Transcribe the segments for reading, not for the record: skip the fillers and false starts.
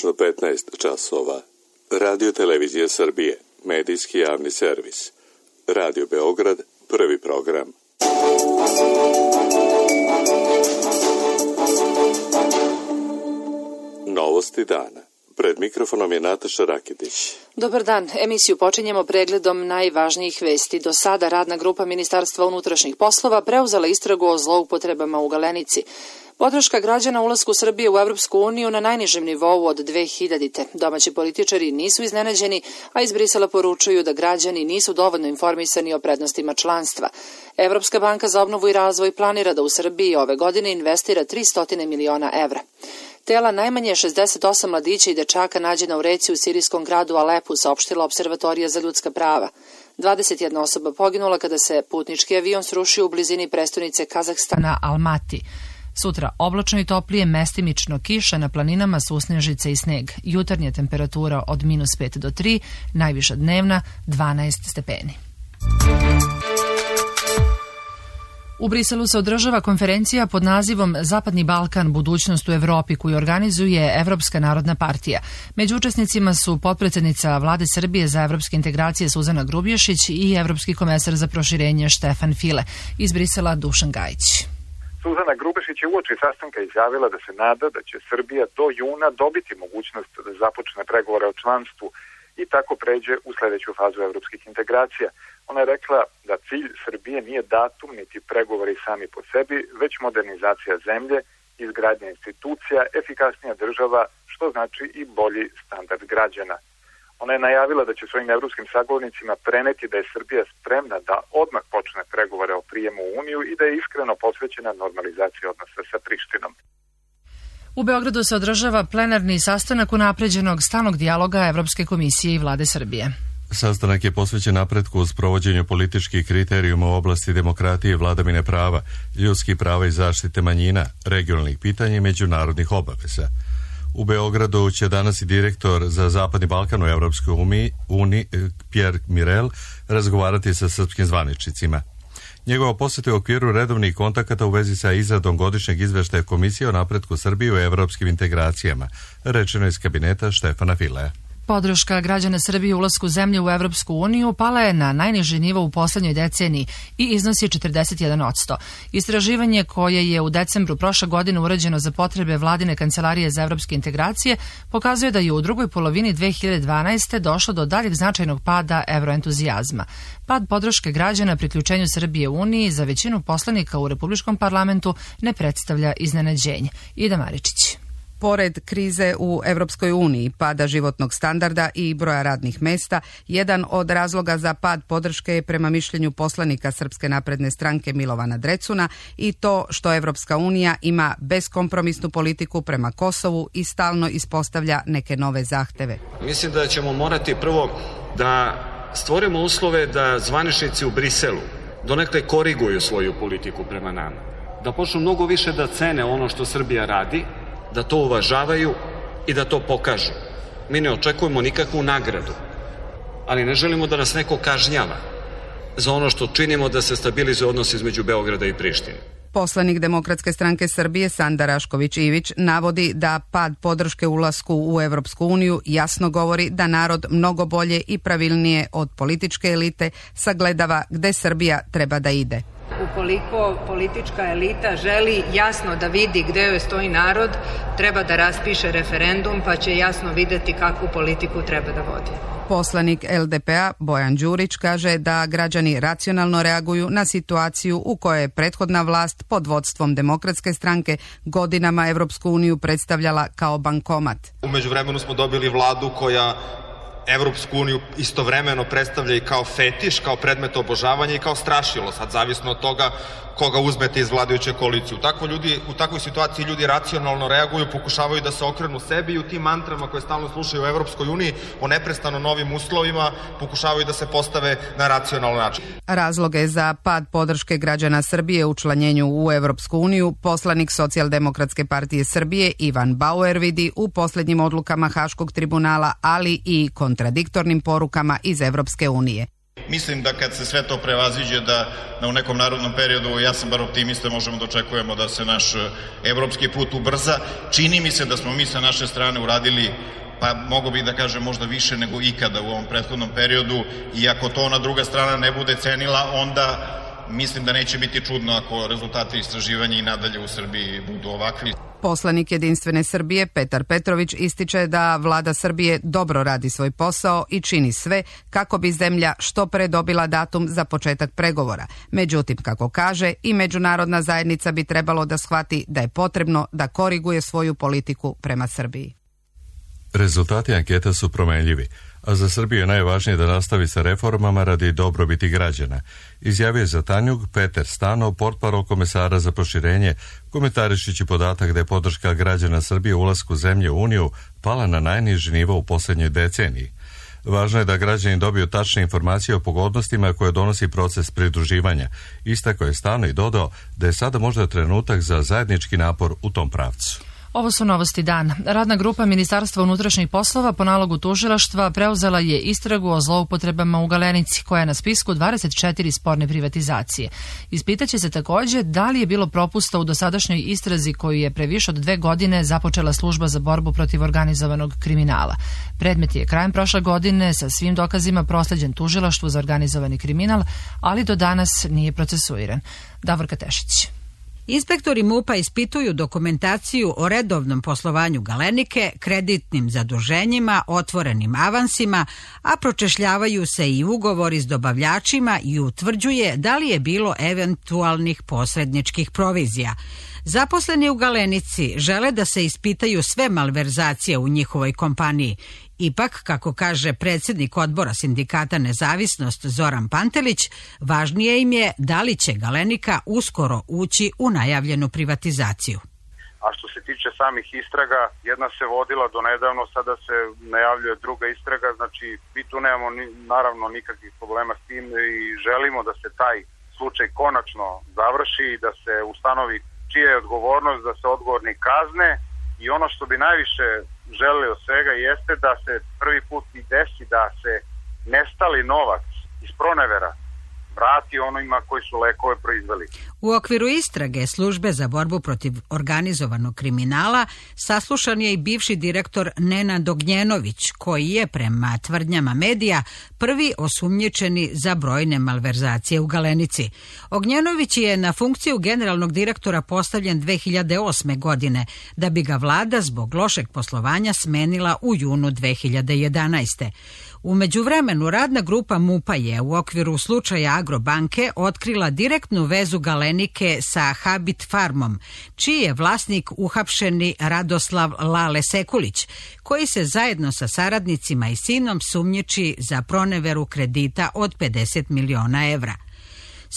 tačno 15 časova. Radio Televizija Srbije, medijski javni servis. Radio Beograd, prvi program. Novosti dana. Pred mikrofonom je Nataša Rakitić. Dobar dan. Emisiju počinjemo pregledom najvažnijih vesti. Do sada radna grupa Ministarstva unutrašnjih poslova preuzela istragu o zloupotrebama u Galenici. Podrška građana ulasku Srbije u Evropsku uniju na najnižem nivou od 2000. Domaći političari nisu iznenađeni, a iz Brisela poručuju da građani nisu dovoljno informisani o prednostima članstva. Evropska banka za obnovu i razvoj planira da u Srbiji ove godine investira 300 miliona evra. Tela najmanje 68 mladića i dečaka nađena u reci u sirijskom gradu Alepu, saopštila Observatorija za ljudska prava. 21 osoba poginula kada se putnički avion srušio u blizini prestonice Kazahstana Almati. Sutra oblačno i toplije, mestimično kiša, na planinama susnežice i sneg. Jutarnja temperatura od -5 do 3, najviša dnevna 12 stepeni. U Briselu se održava konferencija pod nazivom Zapadni Balkan, budućnost u Evropi, koju organizuje Evropska narodna partija. Među učesnicima su potpredsednica Vlade Srbije za evropske integracije Suzana Grubješić i evropski komesar za proširenje Štefan File. Iz Brisela Dušan Gajić. Suzana Grubješić je uoči sastanka izjavila da se nada da će Srbija do juna dobiti mogućnost da započne pregovore o članstvu i tako pređe u sledeću fazu evropskih integracija. Ona je rekla da cilj Srbije nije datum niti pregovori sami po sebi, već modernizacija zemlje, izgradnja institucija, efikasnija država, što znači i bolji standard građana. Ona je najavila da će svojim evropskim sagovornicima preneti da je Srbija spremna da odmah počne pregovore o prijemu u Uniju i da je iskreno posvećena normalizaciji odnosa sa Prištinom. U Beogradu se održava plenarni sastanak unapređenog stalnog dijaloga Evropske komisije i Vlade Srbije. Sastanak je posvećen napretku u sprovođenju političkih kriterijuma u oblasti demokratije i vladavine prava, ljudskih prava i zaštite manjina, regionalnih pitanja i međunarodnih obaveza. U Beogradu će danas i direktor za Zapadni Balkan u Evropskoj uniji, Pierre Mirel, razgovarati sa srpskim zvaničnicima. Njegova poseta je u okviru redovnih kontakata u vezi sa izradom godišnjeg izveštaja Komisije o napretku Srbije u evropskim integracijama, rečeno iz kabineta Štefana Filea. Podrška građana Srbije ulasku zemlje u Evropsku uniju pala je na najniži nivo u poslednjoj deceniji i iznosi 41%. Istraživanje koje je u decembru prošle godine urađeno za potrebe Vladine kancelarije za evropske integracije pokazuje da je u drugoj polovini 2012. došlo do daljeg značajnog pada evroentuzijazma. Pad podrške građana priključenju Srbije u Uniji za većinu poslanika u Republičkom parlamentu ne predstavlja iznenađenje. Ida Maričić. Pored krize u Evropskoj uniji, pada životnog standarda i broja radnih mesta, jedan od razloga za pad podrške je prema mišljenju poslanika Srpske napredne stranke Milovana Drecuna i to što Evropska unija ima beskompromisnu politiku prema Kosovu i stalno ispostavlja neke nove zahteve. Mislim da ćemo morati prvo da stvorimo uslove da zvaničnici u Briselu donekle koriguju svoju politiku prema nama, da počnu mnogo više da cene ono što Srbija radi, da to uvažavaju i da to pokažu. Mi ne očekujemo nikakvu nagradu, ali ne želimo da nas neko kažnjava za ono što činimo da se stabilizuje odnos između Beograda i Prištine. Poslanik Demokratske stranke Srbije Sanda Rašković-Ivić navodi da pad podrške ulasku u Evropsku uniju jasno govori da narod mnogo bolje i pravilnije od političke elite sagledava gde Srbija treba da ide. Ukoliko politička elita želi jasno da vidi gde joj stoji narod, treba da raspiše referendum pa će jasno videti kakvu politiku treba da vodi. Poslanik LDP-a Bojan Đurić kaže da građani racionalno reaguju na situaciju u kojoj je prethodna vlast pod vodstvom Demokratske stranke godinama Evropsku uniju predstavljala kao bankomat. U međuvremenu smo dobili vladu koja Evropsku uniju istovremeno predstavlja i kao fetiš, kao predmet obožavanja i kao strašilo, sad zavisno od toga koga uzmete iz vladajuće koalicije. U takvoj situaciji ljudi racionalno reaguju, pokušavaju da se okrenu sebi i u tim mantrama koje stalno slušaju u Evropskoj uniji o neprestano novim uslovima pokušavaju da se postave na racionalan način. Razloge za pad podrške građana Srbije u učlanjenju u Evropsku uniju poslanik Socijaldemokratske partije Srbije Ivan Bauer vidi u poslednjim odlukama Haškog tribunala, ali i kontradiktornim porukama iz Evropske unije. Mislim da kad se sve to prevaziđe da u nekom narodnom periodu, ja sam bar optimista, možemo da očekujemo da se naš evropski put ubrza. Čini mi se da smo mi sa naše strane uradili, pa mogu bih da kažem možda više nego ikada u ovom prethodnom periodu, i ako to ona druga strana ne bude cenila, onda mislim da neće biti čudno ako rezultati istraživanja i nadalje u Srbiji budu ovakvi. Poslanik Jedinstvene Srbije Petar Petrović ističe da vlada Srbije dobro radi svoj posao i čini sve kako bi zemlja što pre dobila datum za početak pregovora. Međutim, kako kaže, i međunarodna zajednica bi trebalo da shvati da je potrebno da koriguje svoju politiku prema Srbiji. Rezultati anketa su promenljivi, a za Srbiju je najvažnije da nastavi sa reformama radi dobrobiti građana, izjavio je za Tanjug Peter Stanov, portparol komesara za proširenje, komentarišići podatak da je podrška građana Srbije u ulasku zemlje u Uniju pala na najniži nivo u posljednjoj deceniji. Važno je da građani dobiju tačne informacije o pogodnostima koje donosi proces pridruživanja. Istakao je Stanov i dodao da je sada možda trenutak za zajednički napor u tom pravcu. Ovo su novosti dana. Radna grupa Ministarstva unutrašnjih poslova po nalogu tužilaštva preuzela je istragu o zloupotrebama u Galenici, koja je na spisku 24 sporne privatizacije. Ispitaće se također da li je bilo propusta u dosadašnjoj istrazi koju je pre više od 2 godine započela služba za borbu protiv organizovanog kriminala. Predmet je krajem prošle godine sa svim dokazima prosleđen tužilaštvu za organizovani kriminal, ali do danas nije procesuiran. Davorka Tešić. Inspektori MUP-a ispituju dokumentaciju o redovnom poslovanju Galenike, kreditnim zaduženjima, otvorenim avansima, a pročešljavaju se i ugovori s dobavljačima i utvrđuje da li je bilo eventualnih posredničkih provizija. Zaposleni u Galenici žele da se ispitaju sve malverzacije u njihovoj kompaniji. Ipak, kako kaže predsjednik odbora sindikata Nezavisnost Zoran Pantelić, važnije im je da li će Galenika uskoro ući u najavljenu privatizaciju. A što se tiče samih istraga, jedna se vodila do nedavno, sada se najavljuje druga istraga, znači mi tu nemamo naravno nikakvih problema s tim i želimo da se taj slučaj konačno završi i da se ustanovi čija je odgovornost, da se odgovorni kazne, i ono što bi najviše želeli od svega jeste da se prvi put i desi da se nestali novac iz pronevera vrati onima koji su lekove proizveli. U okviru istrage Službe za borbu protiv organizovanog kriminala saslušan je i bivši direktor Nenad Ognjenović, koji je prema tvrdnjama medija prvi osumnjičeni za brojne malverzacije u Galenici. Ognjenović je na funkciju generalnog direktora postavljen 2008. godine, da bi ga vlada zbog lošeg poslovanja smenila u junu 2011. U međuvremenu radna grupa MUP-a je u okviru slučaja Agrobanke otkrila direktnu vezu Galenike sa Habit Farmom, čiji je vlasnik uhapšeni Radoslav Lale Sekulić, koji se zajedno sa saradnicima i sinom sumnjiči za proneveru kredita od 50 miliona evra.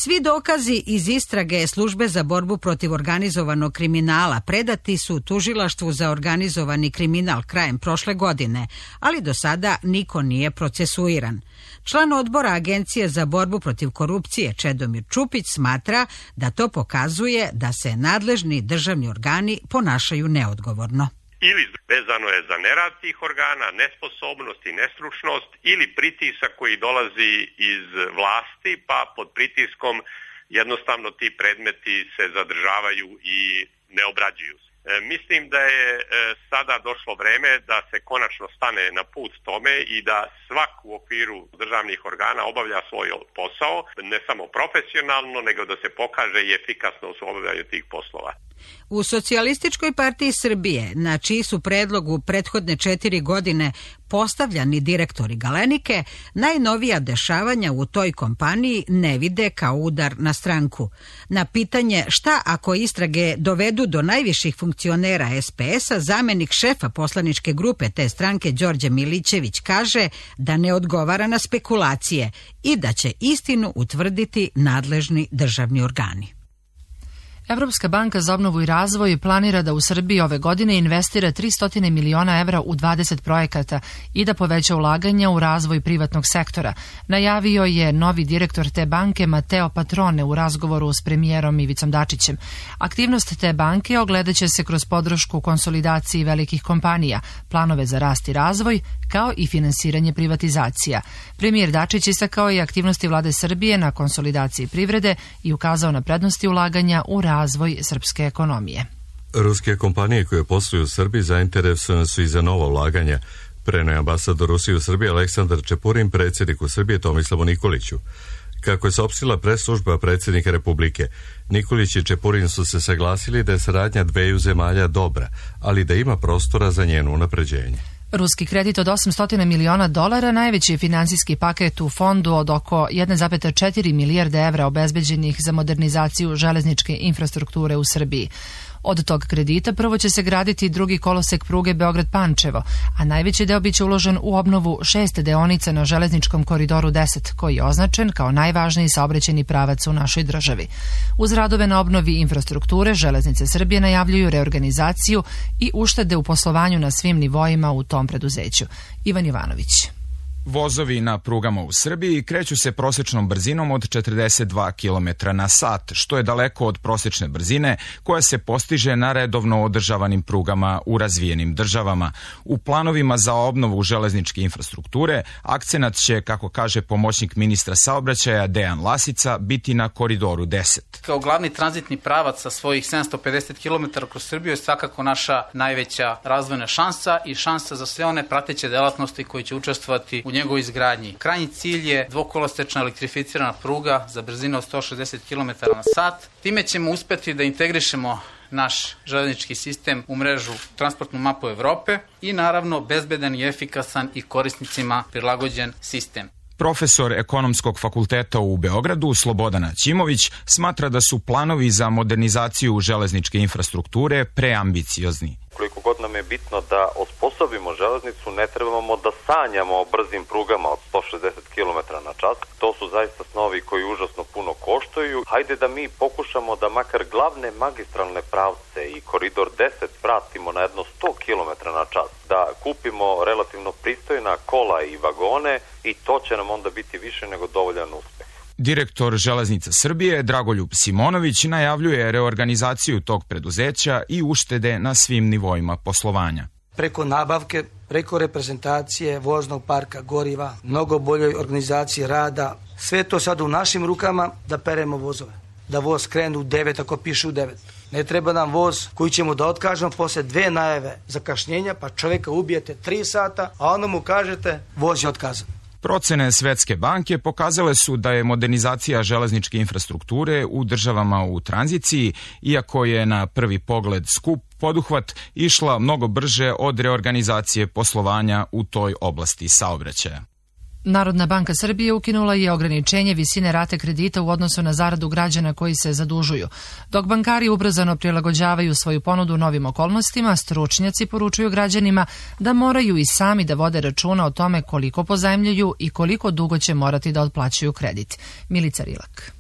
Svi dokazi iz istrage Službe za borbu protiv organizovanog kriminala predati su tužilaštvu za organizovani kriminal krajem prošle godine, ali do sada niko nije procesuiran. Član odbora Agencije za borbu protiv korupcije Čedomir Čupić smatra da to pokazuje da se nadležni državni organi ponašaju neodgovorno. Ili vezano je za nerad tih organa, nesposobnost i nestručnost, ili pritisak koji dolazi iz vlasti, pa pod pritiskom jednostavno ti predmeti se zadržavaju i ne obrađuju se. Mislim da je sada došlo vreme da se konačno stane na put tome i da svak u okviru državnih organa obavlja svoj posao, ne samo profesionalno, nego da se pokaže i efikasnost u obavljanju tih poslova. U Socijalističkoj partiji Srbije, na čiji su predlog u prethodne 4 godine postavljani direktori Galenike, najnovija dešavanja u toj kompaniji ne vide kao udar na stranku. Na pitanje šta ako istrage dovedu do najviših funkcionera SPS-a, zamenik šefa poslaničke grupe te stranke Đorđe Milićević kaže da ne odgovara na spekulacije i da će istinu utvrditi nadležni državni organi. Evropska banka za obnovu i razvoj planira da u Srbiji ove godine investira 300 miliona evra u 20 projekata i da poveća ulaganja u razvoj privatnog sektora. Najavio je novi direktor te banke Mateo Patrone u razgovoru s premijerom Ivicom Dačićem. Aktivnost te banke ogledaće se kroz podršku konsolidaciji velikih kompanija, planove za rast i razvoj, kao i finansiranje privatizacija. Premijer Dačić istakao je aktivnosti vlade Srbije na konsolidaciji privrede i ukazao na prednosti ulaganja u razvoj srpske ekonomije. Ruske kompanije koje posluju u Srbiji zainteresovane su i za nova ulaganja, preneo je ambasador Rusije u Srbiji Aleksandar Čepurin predsjedniku Srbije Tomislavu Nikoliću. Kako je saopštila press-služba predsjednika Republike, Nikolić i Čepurin su se saglasili da je saradnja dveju zemalja dobra, ali da ima prostora za njeno unapređenje. Ruski kredit od $800 miliona najveći je finansijski paket u fondu od oko 1,4 milijarde evra obezbeđenih za modernizaciju železničke infrastrukture u Srbiji. Od tog kredita prvo će se graditi drugi kolosek pruge Beograd-Pančevo, a najveći deo biće uložen u obnovu 6 deonica na železničkom koridoru 10, koji je označen kao najvažniji saobraćajni pravac u našoj državi. Uz radove na obnovi infrastrukture, Železnice Srbije najavljuju reorganizaciju i uštede u poslovanju na svim nivoima u tom preduzeću. Ivan Ivanović. Vozovi na prugama u Srbiji kreću se prosječnom brzinom od 42 km na sat, što je daleko od prosječne brzine koja se postiže na redovno održavanim prugama u razvijenim državama. U planovima za obnovu železničke infrastrukture akcenat će, kako kaže pomoćnik ministra saobraćaja Dejan Lasica, biti na koridoru 10. Kao glavni tranzitni pravac sa svojih 750 km kroz Srbiju je svakako naša najveća razvojna šansa i šansa za sve one prateće delatnosti koje će učestvovati u njegovoj izgradnji. Krajnji cilj je dvokolosečna elektrificirana pruga za brzinu od 160 km na sat. Time ćemo uspjeti da integrišemo naš železnički sistem u mrežu transportnu mapu Evrope i naravno bezbedan i efikasan i korisnicima prilagođen sistem. Profesor Ekonomskog fakulteta u Beogradu Slobodan Ćimović smatra da su planovi za modernizaciju železničke infrastrukture preambiciozni. Koliko god nam je bitno da osposobimo železnicu, ne trebamo da sanjamo o brzim prugama od 160 km na čas. To su zaista snovi koji užasno puno koštaju. Hajde da mi pokušamo da makar glavne magistralne pravce i koridor 10 vratimo na jedno 100 km na čas. Da kupimo relativno pristojna kola i vagone i to će nam onda biti više nego dovoljan uspeh. Direktor Železnica Srbije Dragoljub Simonović najavljuje reorganizaciju tog preduzeća i uštede na svim nivoima poslovanja. Preko nabavke, preko reprezentacije voznog parka goriva, mnogo boljoj organizaciji rada, sve to sad u našim rukama da peremo vozove. Da voz krene u 9 ako piše u 9. Ne treba nam voz koji ćemo da otkažemo posle 2 najave zakašnjenja, pa čovjeka ubijete 3 sata, a onda mu kažete voz je otkazan. Procene Svetske banke pokazale su da je modernizacija železničke infrastrukture u državama u tranziciji, iako je na prvi pogled skup poduhvat, išla mnogo brže od reorganizacije poslovanja u toj oblasti saobraćaja. Narodna banka Srbije ukinula je ograničenje visine rate kredita u odnosu na zaradu građana koji se zadužuju. Dok bankari ubrzano prilagođavaju svoju ponudu novim okolnostima, stručnjaci poručuju građanima da moraju i sami da vode računa o tome koliko pozajmljuju i koliko dugo će morati da otplaćuju kredit. Milica Rilak.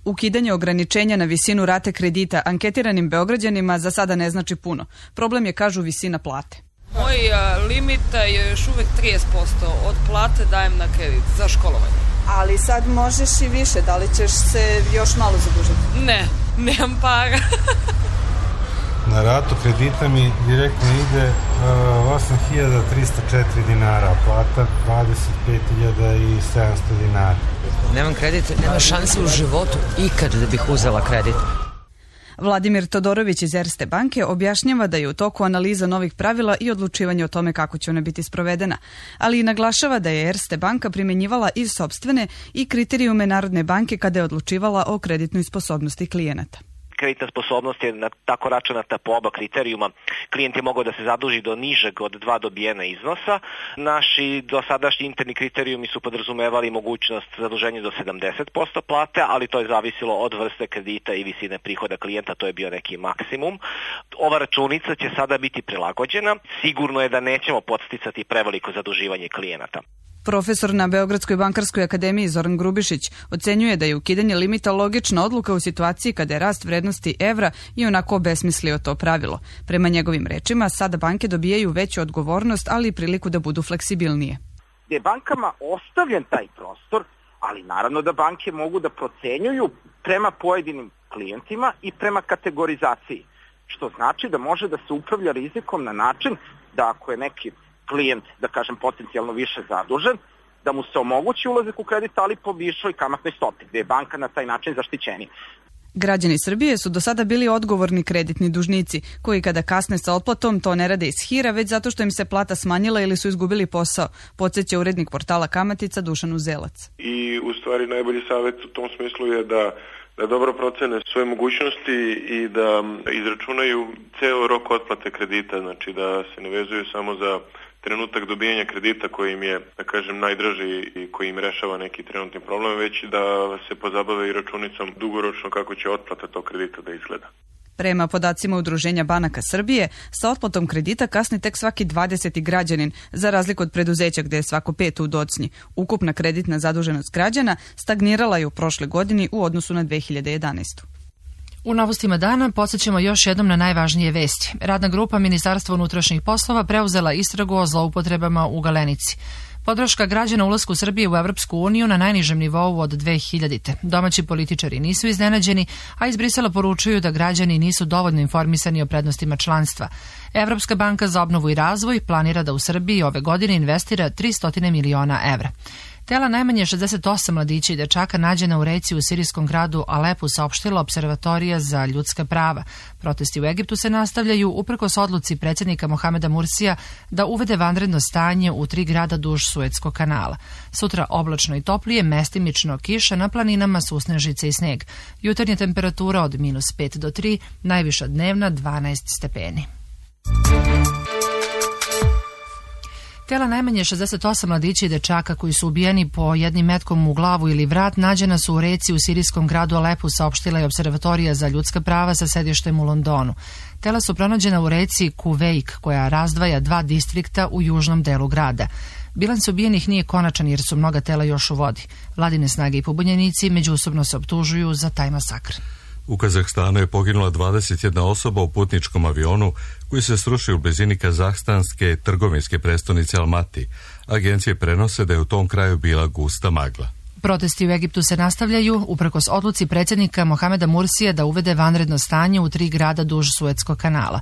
Ukidanje ograničenja na visinu rate kredita anketiranim Beograđanima za sada ne znači puno. Problem je, kažu, visina plate. Moj limit je još uvek 30% od plate dajem na kredit za školovanje. Ali sad možeš i više, da li ćeš se još malo zadužiti? Ne, nemam para. Na ratu kredita mi direktno ide 8.304 dinara, plata 25.700 dinara. Nemam kredit, nema šanse u životu ikad da bih uzela kredit. Vladimir Todorović iz Erste banke objašnjava da je u toku analiza novih pravila i odlučivanje o tome kako će ona biti sprovedena, ali i naglašava da je Erste banka primjenjivala i sopstvene i kriterijume Narodne banke kada je odlučivala o kreditnoj sposobnosti klijenata. Kreditna sposobnost je tako računata po oba kriterijuma. Klijent je mogao da se zaduži do nižeg od 2 dobijena iznosa. Naši dosadašnji interni kriterijumi su podrazumevali mogućnost zaduženja do 70% plate, ali to je zavisilo od vrste kredita i visine prihoda klijenta, to je bio neki maksimum. Ova računica će sada biti prilagođena. Sigurno je da nećemo podsticati preveliko zaduživanje klijenata. Profesor na Beogradskoj bankarskoj akademiji Zoran Grubišić ocenjuje da je ukidanje limita logična odluka u situaciji kada je rast vrednosti evra i onako obesmislio to pravilo. Prema njegovim rečima, sada banke dobijaju veću odgovornost, ali i priliku da budu fleksibilnije. Je bankama ostavljen taj prostor, ali naravno da banke mogu da procenjuju prema pojedinim klijentima i prema kategorizaciji, što znači da može da se upravlja rizikom na način da ako je neki klijent, da kažem, potencijalno više zadužen, da mu se omogući ulazak u kredit, ali po višoj kamatnoj stopi, gde je banka na taj način zaštićenija. Građani Srbije su do sada bili odgovorni kreditni dužnici, koji kada kasne sa otplatom to ne rade iz hira, već zato što im se plata smanjila ili su izgubili posao, podsjeća urednik portala Kamatica Dušan Uzelac. I u stvari najbolji savjet u tom smislu je da dobro procene svoje mogućnosti i da izračunaju ceo rok otplate kredita, znači da se ne vezuju samo za trenutak dobijanja kredita koji im je, da kažem, najdraži i koji im rešava neki trenutni problem, već da se pozabave i računicom dugoročno kako će otplata tog kredita da izgleda. Prema podacima Udruženja banaka Srbije, sa otplatom kredita kasni tek svaki 20. građanin, za razliku od preduzeća gde je svako 5 u docnji. Ukupna kreditna zaduženost građana stagnirala je u prošle godini u odnosu na 2011. U novostima dana podsjećamo još jednom na najvažnije vesti. Radna grupa Ministarstva unutrašnjih poslova preuzela istragu o zloupotrebama u Galenici. Podrška građana ulasku Srbije u Evropsku uniju na najnižem nivou od 2000. Domaći političari nisu iznenađeni, a iz Brisela poručuju da građani nisu dovoljno informisani o prednostima članstva. Evropska banka za obnovu i razvoj planira da u Srbiji ove godine investira 300 miliona evra. Tela najmanje 68 mladića i dečaka nađena u reci u sirijskom gradu Alepu, saopštila Observatorija za ljudska prava. Protesti u Egiptu se nastavljaju uprkos odluci predsjednika Mohameda Mursija da uvede vanredno stanje u 3 grada duž Suetskog kanala. Sutra oblačno i toplije, mestimično kiša, na planinama susnežice i sneg. Jutarnja temperatura od -5 do 3, najviša dnevna 12 stepeni. Tela najmanje 68 mladića i dečaka koji su ubijeni po jednim metkom u glavu ili vrat nađena su u reci u sirijskom gradu Alepu, saopštila je Observatorija za ljudska prava sa sedištem u Londonu. Tela su pronađena u reci Kuvejk, koja razdvaja 2 distrikta u južnom delu grada. Bilans ubijenih nije konačan jer su mnoga tela još u vodi. Vladine snage i pobunjenici međusobno se optužuju za taj masakr. U Kazahstanu je poginula 21 osoba u putničkom avionu koji se srušio u blizini kazahstanske trgovinske prestonice Almati. Agencije prenose da je u tom kraju bila gusta magla. Protesti u Egiptu se nastavljaju uprkos odluci predsjednika Mohameda Mursija da uvede vanredno stanje u 3 grada duž Suetskog kanala.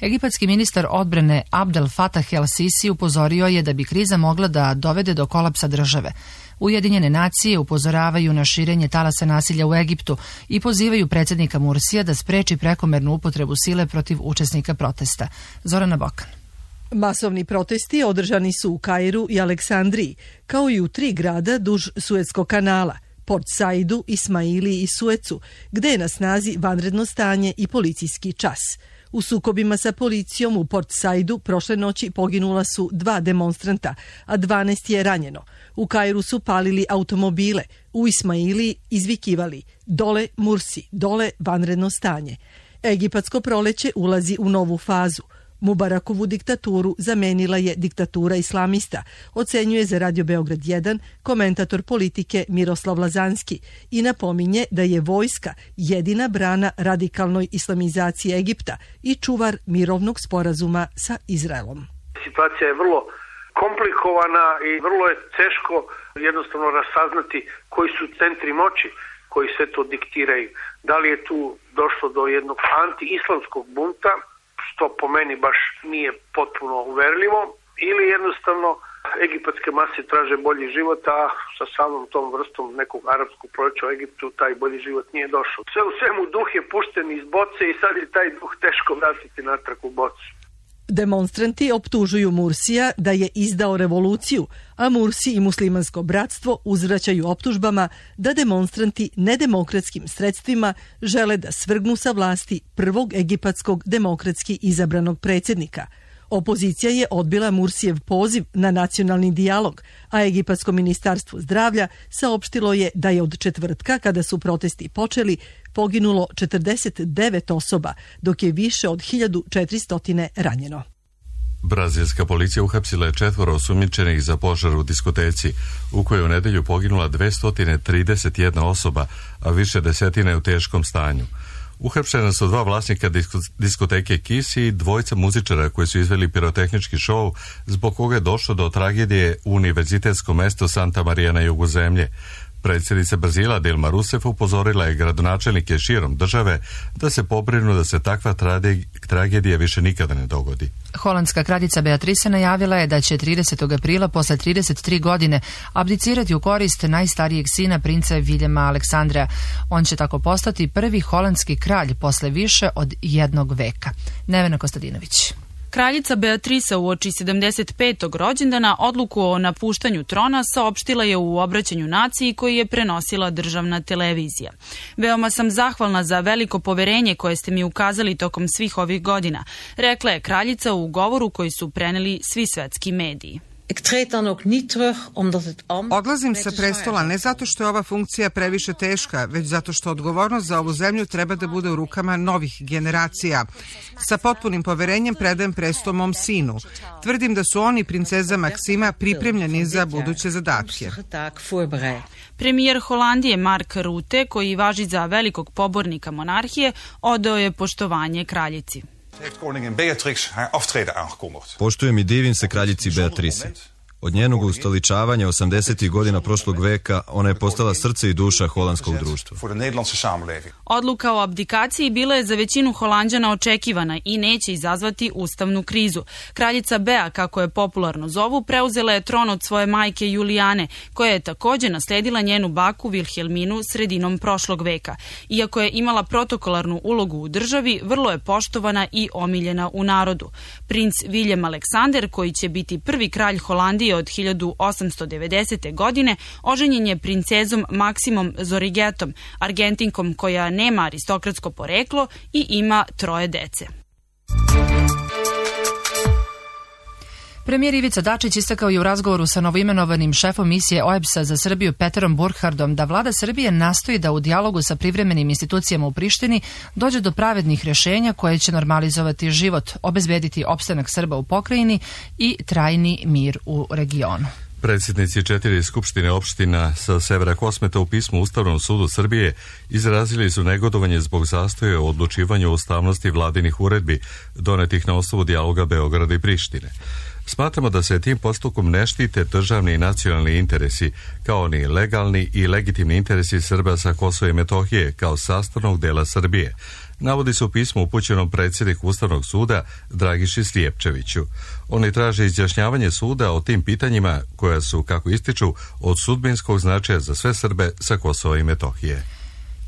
Egipatski ministar odbrane Abdel Fattah el-Sisi upozorio je da bi kriza mogla da dovede do kolapsa države. Ujedinjene nacije upozoravaju na širenje talasa nasilja u Egiptu i pozivaju predsjednika Mursija da spreči prekomernu upotrebu sile protiv učesnika protesta. Zorana Bokan. Masovni protesti održani su u Kairu i Aleksandriji, kao i u 3 grada duž Suetskog kanala, Port Saidu, Ismailiji i Suecu, gde je na snazi vanredno stanje i policijski čas. U sukobima sa policijom u Port Saidu prošle noći poginula su 2 demonstranta, a 12 je ranjeno. U Kairu su palili automobile, u Ismailiji izvikivali "Dole Mursi, dole vanredno stanje". Egipatsko proleće ulazi u novu fazu. Mubarakovu diktaturu zamenila je diktatura islamista, ocenjuje za Radio Beograd 1 komentator politike Miroslav Lazanski i napominje da je vojska jedina brana radikalnoj islamizaciji Egipta i čuvar mirovnog sporazuma sa Izraelom. Situacija je vrlo komplikovana i vrlo je teško jednostavno rasaznati koji su centri moći koji sve to diktiraju. Da li je tu došlo do jednog anti-islamskog bunta, što po meni baš nije potpuno uverljivo, ili jednostavno egipatske mase traže bolji život, a sa samom tom vrstom nekog arapskog proljeća u Egiptu taj bolji život nije došao. Sve u svemu duh je pušten iz boce i sad je taj duh teško vratiti natrag u bocu. Demonstranti optužuju Mursija da je izdao revoluciju, a Mursi i muslimansko bratstvo uzvraćaju optužbama da demonstranti nedemokratskim sredstvima žele da svrgnu sa vlasti prvog egipatskog demokratski izabranog predsjednika. Opozicija je odbila Mursijev poziv na nacionalni dijalog, a Egipatsko ministarstvo zdravlja saopštilo je da je od četvrtka, kada su protesti počeli, poginulo 49 osoba, dok je više od 1400 ranjeno. Brazilska policija uhapsila je 4 osumnjičenih za požar u diskoteci, u kojoj u nedelju poginula 231 osoba, a više desetine je u teškom stanju. Uhapšena su 2 vlasnika diskoteke Kiss i 2 muzičara koji su izveli pirotehnički šou, zbog koga je došlo do tragedije u univerzitetskom mestu Santa Maria na jugu zemlje. Predsjednica Brazila Dilma Rousseff upozorila je gradonačelnike širom države da se pobrinu da se takva tragedija više nikada ne dogodi. Holandska kraljica Beatrice najavila je da će 30. aprila posle 33 godine abdicirati u korist najstarijeg sina princa Viljema Aleksandra. On će tako postati prvi holandski kralj posle više od 1 veka. Nevena Kostadinović. Kraljica Beatrisa uoči 75. rođendana odluku o napuštanju trona saopštila je u obraćanju naciji koji je prenosila državna televizija. Veoma sam zahvalna za veliko poverenje koje ste mi ukazali tokom svih ovih godina, rekla je kraljica u govoru koji su preneli svi svetski mediji. Odlazim sa prestola ne zato što je ova funkcija previše teška, već zato što odgovornost za ovu zemlju treba da bude u rukama novih generacija. Sa potpunim poverenjem predajem presto mom sinu. Tvrdim da su oni, princeza Maksima, pripremljeni za buduće zadatke. Premijer Holandije Mark Rutte, koji važi za velikog pobornika monarhije, odao je poštovanje kraljici. Poštujem i divim se kraljici Beatrice. Od njenog ustoličavanja 80. godina prošlog veka ona je postala srce i duša holandskog društva. Odluka o abdikaciji bila je za većinu Holanđana očekivana i neće izazvati ustavnu krizu. Kraljica Bea, kako je popularno zovu, preuzela je tron od svoje majke Julijane, koja je također nasledila njenu baku Vilhelminu sredinom prošlog veka. Iako je imala protokolarnu ulogu u državi, vrlo je poštovana i omiljena u narodu. Princ Viljem Aleksander, koji će biti prvi kralj Holandije od 1890. godine, oženjen je princezom Maksimom Zorigetom, Argentinkom koja nema aristokratsko poreklo i ima 3 dece. Premijer Ivica Dačić istakao je u razgovoru sa novoimenovanim šefom misije OEBS-a za Srbiju Peterom Burkhardom da vlada Srbije nastoji da u dijalogu sa privremenim institucijama u Prištini dođe do pravednih rješenja koje će normalizovati život, obezbediti opstanak Srba u pokrajini i trajni mir u regionu. Predsjednici 4 skupštine opština sa severa Kosmeta u pismu Ustavnom sudu Srbije izrazili su negodovanje zbog zastoja u odlučivanju o ustavnosti vladinih uredbi donetih na osnovu dijaloga Beograda i Prištine. Smatramo da se tim postupkom ne štite državni i nacionalni interesi, kao ni legalni i legitimni interesi Srba sa Kosova i Metohije kao sastavnog dela Srbije, navodi se u pismu upućenom predsjedniku Ustavnog suda Dragiši Slijepčeviću. Oni traže izjašnjavanje suda o tim pitanjima koja su, kako ističu, od sudbinskog značaja za sve Srbe sa Kosova i Metohije.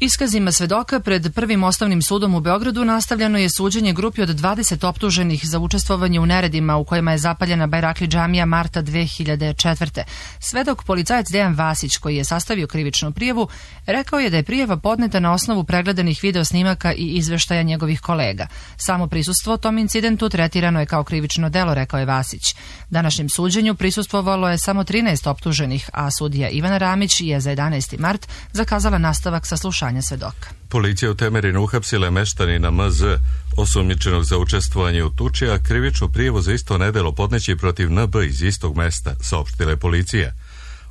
Iskazima svedoka pred Prvim osnovnim sudom u Beogradu nastavljeno je suđenje grupi od 20 optuženih za učestvovanje u neredima u kojima je zapaljena Bajrakli džamija marta 2004. Svedok policajac Dejan Vasić, koji je sastavio krivičnu prijavu, rekao je da je prijava podneta na osnovu pregledanih video snimaka i izveštaja njegovih kolega. Samo prisustvo tom incidentu tretirano je kao krivično delo, rekao je Vasić. Današnjem suđenju prisustvovalo je samo 13 optuženih, a sudija Ivana Ramić je za 11. mart zakazala nastavak saslušanja svedoka. Policija u Temerinu uhapsila meštanina MZ, osumnjičenog za učestvovanje u tuči, a krivičnu prijavu za isto nedelo podneći protiv NB iz istog mesta, saopštila je policija.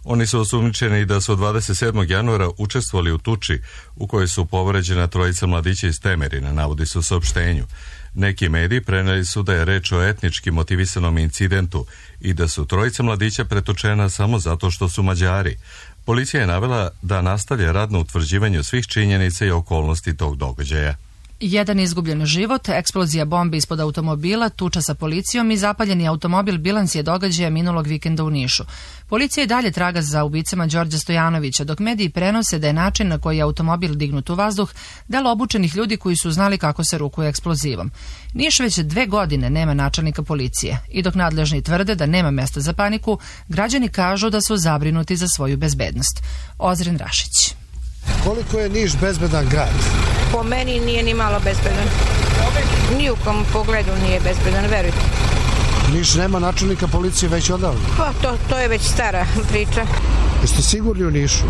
Oni su osumnjičeni da su 27. januara učestvovali u tuči u kojoj su povređena 3 mladića iz Temerina, navodi se u saopštenju. Neki mediji preneli su da je reč o etnički motivisanom incidentu i da su 3 mladića pretučena samo zato što su Mađari. Policija je navela da nastavlja rad na utvrđivanju svih činjenica i okolnosti tog događaja. Jedan izgubljen život, eksplozija bombi ispod automobila, tuča sa policijom i zapaljeni automobil bilans je događaja minulog vikenda u Nišu. Policija i dalje traga za ubicama Đorđa Stojanovića, dok mediji prenose da je način na koji je automobil dignut u vazduh delo obučenih ljudi koji su znali kako se rukuje eksplozivom. Niš već 2 godine nema načelnika policije i dok nadležni tvrde da nema mesta za paniku, građani kažu da su zabrinuti za svoju bezbednost. Ozren Rašić. Koliko je Niš bezbedan grad? Po meni nije ni malo bezbedan. Ni u kom pogledu nije bezbedan, verujte. Niš nema načelnika policije već odavno? Pa to je već stara priča. Jeste sigurni u Nišu?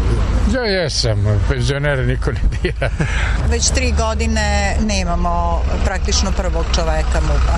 Ja jesam, penzionere niko ne dira. Već 3 godine nemamo praktično prvog čoveka MUP-a.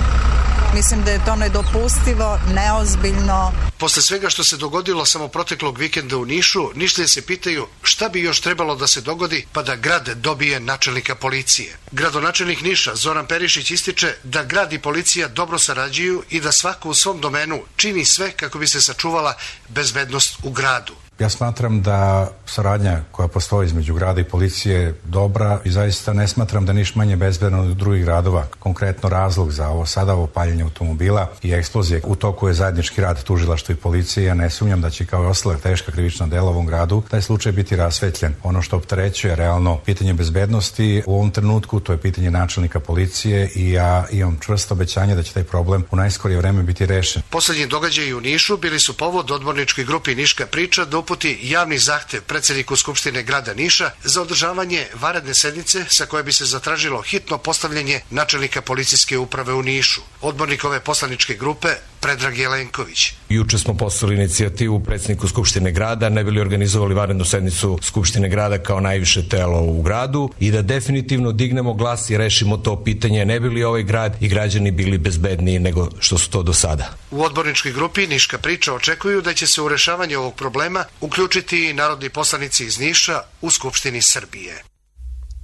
Mislim da je to nedopustivo, neozbiljno. Posle svega što se dogodilo samo proteklog vikenda u Nišu, Nišlije se pitaju šta bi još trebalo da se dogodi pa da grad dobije načelnika policije. Gradonačelnik Niša Zoran Perišić ističe da grad i policija dobro sarađuju i da svako u svom domenu čini sve kako bi se sačuvala bezbednost u gradu. Ja smatram da saradnja koja postoji između grada i policije je dobra i zaista ne smatram da Niš manje bezbedan od drugih gradova. Konkretno razlog za ovo paljenje automobila i eksplozije u toku je zajednički rad tužilaštva i policije. Ja ne sumnjam da će kao i ostala teška krivična dela u ovom gradu taj slučaj biti rasvetljen. Ono što opterećuje realno pitanje bezbednosti u ovom trenutku, to je pitanje načelnika policije i ja imam čvrsto obećanje da će taj problem u najskorije vreme biti rešen. Poslednji događaji u Nišu bili su povod odborničkoj grupi Niška priča da uputi javni zahtev predsjedniku Skupštine grada Niša za održavanje vanredne sednice sa koje bi se zatražilo hitno postavljanje načelnika policijske uprave u Nišu. Odbornik ove poslaničke grupe Predrag Jelenković. Juče smo poslali inicijativu predsjedniku Skupštine grada, ne bili organizovali vanrednu sednicu Skupštine grada kao najviše telo u gradu i da definitivno dignemo glas i rešimo to pitanje, ne bili ovaj grad i građani bili bezbedniji nego što su to do sada. U odborničkoj grupi Niška priča očekuju da će se u rešavanje ovog problema uključiti i narodni poslanici iz Niša u Skupštini Srbije.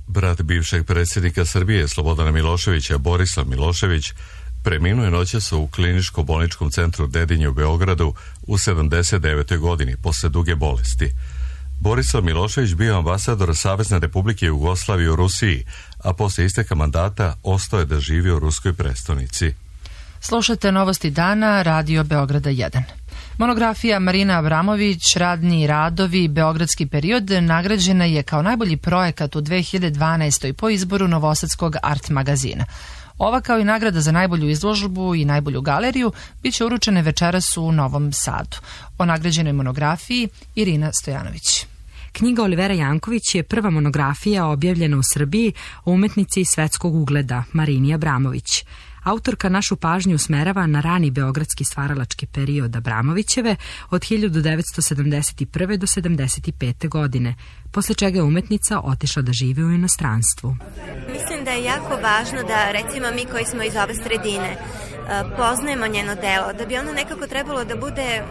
Brat bivšeg predsjednika Srbije Slobodana Miloševića, Borislav Milošević, preminuo je noćas u kliničko-bolničkom centru Dedinje u Beogradu u 79. godini posle duge bolesti. Borislav Milošević bio ambasador Savezne Republike Jugoslavije u Rusiji, a posle isteka mandata ostao je da živi u ruskoj prestonici. Slušate Novosti dana, Radio Beograda 1. Monografija Marina Abramović, radni radovi, beogradski period, nagrađena je kao najbolji projekat u 2012. po izboru Novosadskog art magazina. Ova kao i nagrada za najbolju izložbu i najbolju galeriju bit će uručene večeras u Novom Sadu. O nagrađenoj monografiji Irina Stojanović. Knjiga Olivera Janković je prva monografija objavljena u Srbiji o umetnici svetskog ugleda Marini Abramović. Autorka našu pažnju usmerava na rani beogradski stvaralački period Abramovićeve od 1971. do 1975. godine, posle čega je umetnica otišla da živi u inostranstvu. Mislim da je jako važno da, recimo, mi koji smo iz ove sredine poznajemo njeno delo, da bi ono nekako trebalo da bude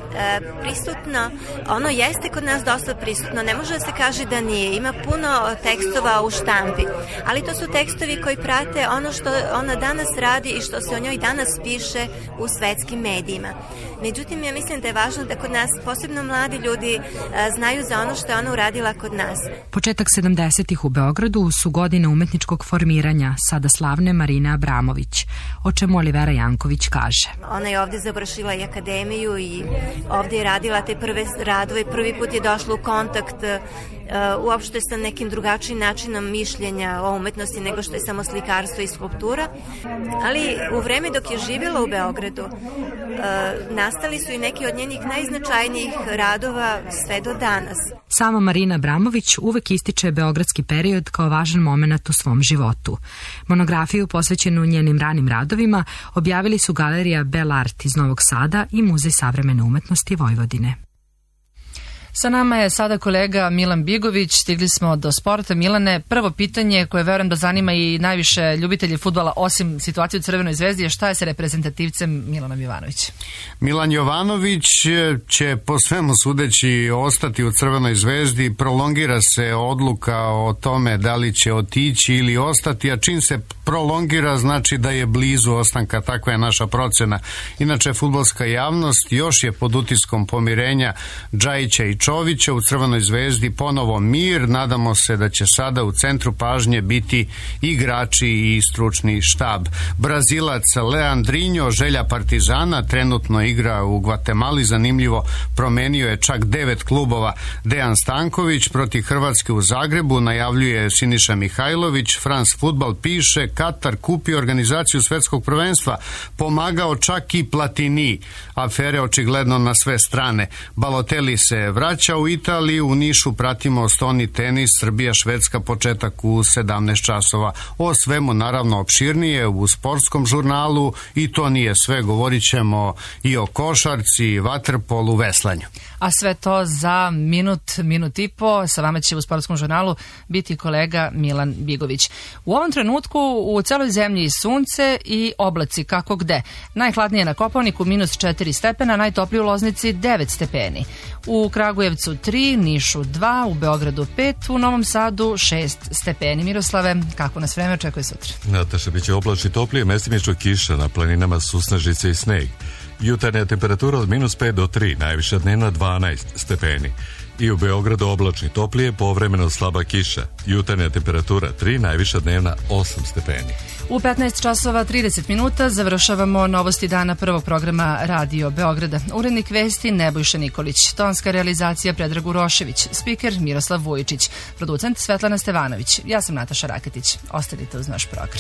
prisutno. Ono jeste kod nas dosta prisutno, ne može da se kaže da nije. Ima puno tekstova u štampi, ali to su tekstovi koji prate ono što ona danas radi i što se o njoj danas piše u svetskim medijima. Međutim, ja mislim da je važno da kod nas, posebno mladi ljudi, znaju za ono što je ona uradila kod nas. Početak 70-ih u Beogradu su godine umetničkog formiranja sada slavne Marine Abramović, o čemu Olivera Janković kaže. Ona je ovde završila i akademiju i ovde je radila te prve radove. Prvi put je došla u kontakt uopšte sa nekim drugačijim načinom mišljenja o umetnosti nego što je samo slikarstvo i skulptura. Ali u vreme dok je živjela u Beogradu nastali su i neki od njenih najznačajnijih radova sve do danas. Sama Marina Abramović uvek ističe beogradski period kao važan moment u svom životu. Monografiju posvećenu njenim ranim radovima objavili su Galerija Bell Art iz Novog Sada i Muzej savremene umetnosti Vojvodine. Sa nama je sada kolega Milan Bigović, stigli smo do sporta. Milane, prvo pitanje koje verujem da zanima i najviše ljubitelji fudbala osim situacije u Crvenoj zvezdi je šta je sa reprezentativcem Milanom Jovanović? Milan Jovanović će po svemu sudeći ostati u Crvenoj zvezdi, prolongira se odluka o tome da li će otići ili ostati, a čim se prolongira znači da je blizu ostanka, takva je naša procena. Inače, fudbalska javnost još je pod utiskom pomirenja Džajića i Čovića, u Crvenoj zvezdi ponovo mir, nadamo se da će sada u centru pažnje biti igrači i stručni štab. Brazilac Leandrinho, želja Partizana, trenutno igra u Gvatemali, zanimljivo, promenio je čak 9 klubova. Dejan Stanković protiv Hrvatske u Zagrebu, najavljuje Siniša Mihajlović. France Football piše, Katar kupio organizaciju svetskog prvenstva, pomagao čak i Platini. Afere očigledno na sve strane. Balotelli se vraća u Italiju, u Nišu pratimo stoni tenis, Srbija, Švedska, početak u 17 časova. O svemu naravno opširnije u sportskom žurnalu i to nije sve, govorit ćemo i o košarci, vaterpolu, veslanju. A sve to za minut i po. Sa vama će u sportskom žurnalu biti kolega Milan Bigović. U ovom trenutku u celoj zemlji sunce i oblaci kako gde. Najhladnije na Kopaoniku -4 stepena, najtoplije u Loznici 9 stepeni. U Kragujevcu 3, Nišu 2, u Beogradu 5, u Novom Sadu 6 stepeni. Miroslave, kako nas vreme očekuje sutra? Nataša, biće oblačno toplije, mestimično kiša, na planinama susnežice i sneg. Jutarnja temperatura od -5 do 3, najviša dnevna 12 stepeni. I u Beogradu oblačno toplije, povremeno slaba kiša. Jutarnja temperatura 3, najviša dnevna 8 stepeni. U 15 časova 30 minuta završavamo novosti dana prvog programa Radio Beograda. Urednik vesti Nebojša Nikolić, tonska realizacija Predrag Urošević, spiker Miroslav Vujičić, producent Svetlana Stevanović. Ja sam Nataša Raketić. Ostanite uz naš program.